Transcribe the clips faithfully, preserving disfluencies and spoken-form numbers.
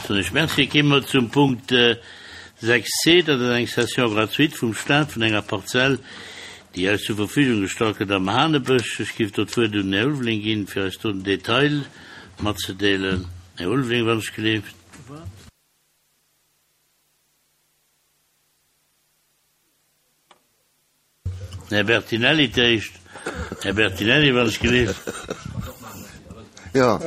Soen ech Merci. Gi mer zum Punkt sechs c, dat ass eng Cession gratuite vum Stat vun enger Parzell, déi eis zur Verfügung gestallt gëtt am Hanebësch. Ech géif do d'Wuert un den Här Ulveling ginn, fir eis do den Detail matzedeelen. Här Ulveling, wann ech geleeft. Den Här Bertinelli d'éischt. Här Bertinelli, wann ech geleeft. Jo.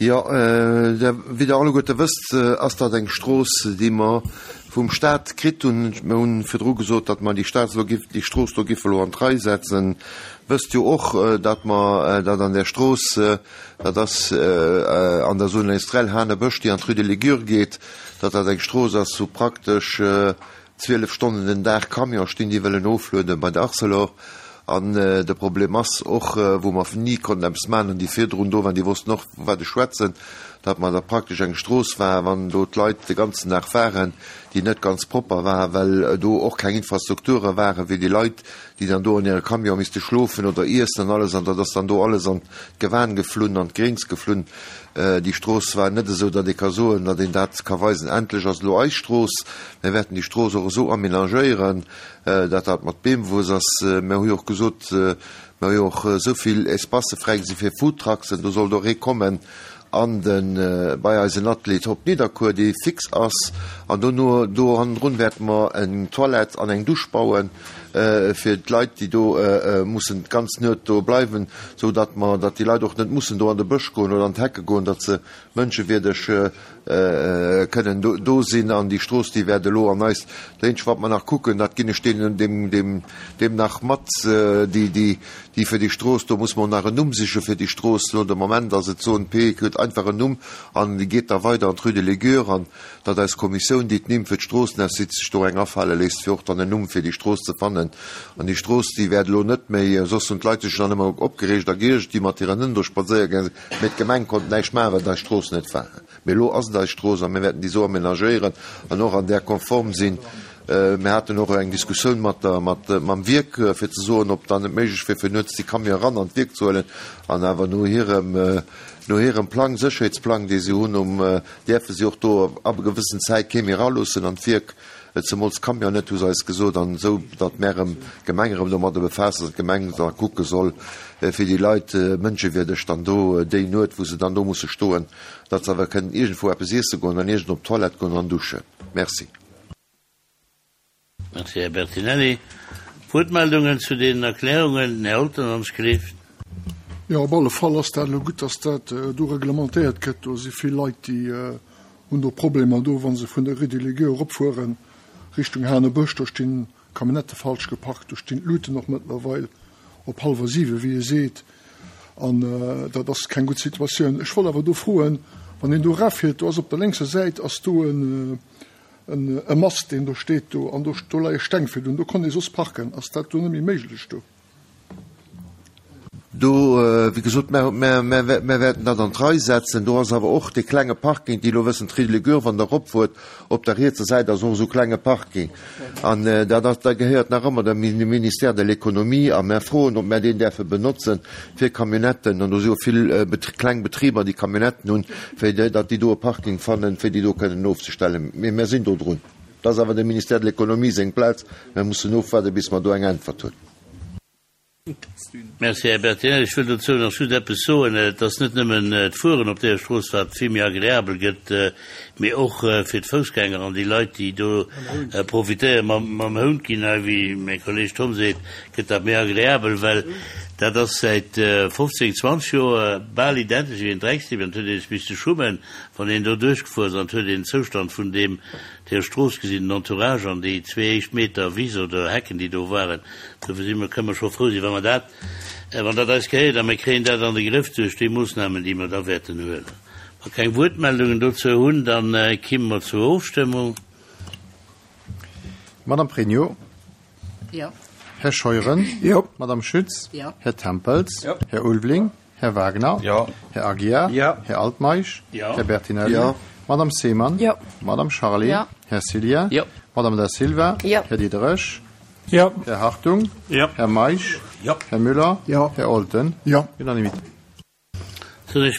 Jo, wéi Der alleguerte wësst, ass dat eng Strooss, déi mer vum Stat kritt hunn. Mir hu virdru gesot, datt mer déi Stat elo giff, déi Strooss do giffe elo an d'Rei setzen. Wësst jo och, datt mer, datt an där Strooss, dat ass an der Zone industrielle Hanebësch, déi an d'Rue de Ligure geet, datt dat eng Strooss ass, wou praktesch zwielef Stonnen den Dag Camione stinn, déi wëllen ofluede bei der Arcelor. An de Problem ass och, wou mer ni konnten eppes maachen, an déi virdrun do waren, déi wossten och, vu wat ech schwätzen, datt mer da praktesch eng Strooss war, wann do d'Leit de ganzen Dag waren, déi net ganz propper war, well do och keng Infrastrukture waren, wéi déi Leit, déi dann do an hire Camion misste schlofen oder iessen an alles, an dat ass dann do alles an d'Gewan geflunn, an d'Gréngs geflunn. Déi Strooss war net esou, datt ee ka soen, datt een dat ka weisen, endlech ass elo eis Strooss. Mir wäerten déi Strooss och esou aménagéieren, datt dat mat Beemwuess ass. Mir hu jo och gesot, mir hu jo och esou vill Espacë fräigesi fir Foodtrucksen, do sollt och ee kommen an de bei eisen Atelier op Nidderkuer, dee fix ass. An dono, do hannendrun wäerte mer eng Toilette an eng Dusch bauen fir d'Leit, déi do mussen d'ganz Nuet do bleiwen, esou datt mer, datt déi Leit och net mussen do an de Bësch goen oder an d'Hecke goen, datt se mënschewierdeg kënnen do sinn. An déi Strooss, déi wäert elo an eis, dat eenzegt wat mer nach kucken, dat ginn ech deenen, deem, deem, deem nach mat, déi, déi, déi fir déi Strooss, do muss mer och nach en Numm siche fir déi Strooss. Elo de Moment ass et Zone P, huet einfach en Numm an déi geet da weider an d'Rue de Ligure. An datt eis Kommissioun, déi d'Nimm fir d'Stroossen aussicht, sech do eng afale léisst, fir och dann en Numm fir déi Strooss ze fannen. An déi Strooss, déi wäert elo net méi, soss hunn d'Leit sech dann ëmmer opgereegt a geiergt, déi mat hiren Hënn do spadséiere gaange sinn, mee d'Gemeng konnt näischt maachen, well et eis Strooss net war. Mee elo ass et eis Strooss a mir wäerten déi esou aménagéieren an och an där konform sinn. Mir haten och eng Diskussioun mat der, mat, mam Wierk, fir ze soen, ob dann et méiglech wier, fir nuets déi Camion eran an d'Wierk ze huelen. An awer no hirem, no hirem Plang, Sécherheetsplang, dee si hunn, um, däerfe si och do ab e gewëssen Zäit kee méi eraloossen an d'Wierk, zemools d'Camion net, hu se eis gesot. An esou, datt mär erëm, d'Gemeng erëm domadder befaasst ass, d'Gemeng da kucke soll, fir déi Leit mënschewierdeg dann do déi Nuet, wou se dann do musse stoen, datt se awer kënnen iergendwou eppes iesse goen an iergend op d'Toilette goen an duschen. Merci. Merci, Här Bertinelli. Wuertmeldungen zu deenen Erklärungen? Den Här Olten, wann ech gelift. Jo, op alle Fall ass dat elo gutt, dass dat do reglementéiert gëtt. Do si vill Leit, déi hunn do Problemer do, wa se vun der Rue de Ligure eropfuere Richtung Hanebësch. Do stinn Camionnettë falsch geparkt, do stinn d'Luuten och mëttlerweil op hallwer siwe, wéi ee seet, an dat ass keng gutt Situatioun. Ech wollt awer do froen, wann een do erafiert, do ass op der lénkser Säit ass do en e Mast, deen do steet do, an do do leie Steng virdrun, do konnt ee soss parken. Ass dat do net méi méiglech do? Do, wéi gesot, mer, mer, mer, mer wäerten dat an d'Rei setzen. Do ass awer och dee klenge Parking, déi elo wëssen, d'Rue de Ligure, wann Der eropfuert, op der rietser Säit ass och esou klenge Parking. An dat ass, dat gehéiert nach ëmmer dem Ministère de l'Économie. A mer froen, ob mer deen däerfe benotzen fir Camionnetten. An do si jo vill kleng Betriber, déi Camionnetten hunn, fir datt déi do e Parking fannen, fir déi do kënnen ofzestellen. Mee mer sinn do drun. Dat ass awer dem Ministère de l'Économie seng Plaz. Mer mussen ofwaarden, bis mer do eng Äntwert hunn. Merci, Här Bertinelli. Ech wëll dozou nach just eppes soen. Et ass net nëmmen d'Fueren op deeër Strooss, wat vill méi agreabel gëtt, mee och fir d'Foussgänger an déi Leit, déi do profitéieren. Mam Hount ginn hei, wéi mäi Kolleeg Tom seet, gëtt dat méi agreabel, well dat ass säit fofzéng, zwanzeg Joer bal identesch wéi en Dreckstipp. An et huet ee sech misste schummen, wann een do duerchgefuer ass, an et huet een den Zoustand vun deem Deeër Strooss gesinn, den Entourage an déi zwee éischt Meter Wiss oder Hecken, déi do waren. Dofir si mer, kënne mer scho frou sinn, wa mer dat, wann dat eis gehéiert a mir kréien dat an de Grëff duerch déi Moossnamen, déi mer da wäerten huelen. Wa mer keng Wuertmeldungen dozou hunn, da kimme mer zur Ofstëmmung. Madame Pregno. Jo. Här Scheuren. Jo. Madame Schütz. Jo. Här Tempels. Jo. Här Ulveling. Här Wagner. Jo. Här Aguiar. Jo. Här Altmeisch. Jo. Här Bertinelli. Jo. Madame Seemann. Jo. Madame Charlé. Jo. Här Cillien. Jo. Madame Da Silva. Jo. Här Diderich. Jo. Här Hartung. Jo. Här Meisch. Jo. Här Müller. Jo. Här Olten. Jo. Unanimité. Soen ech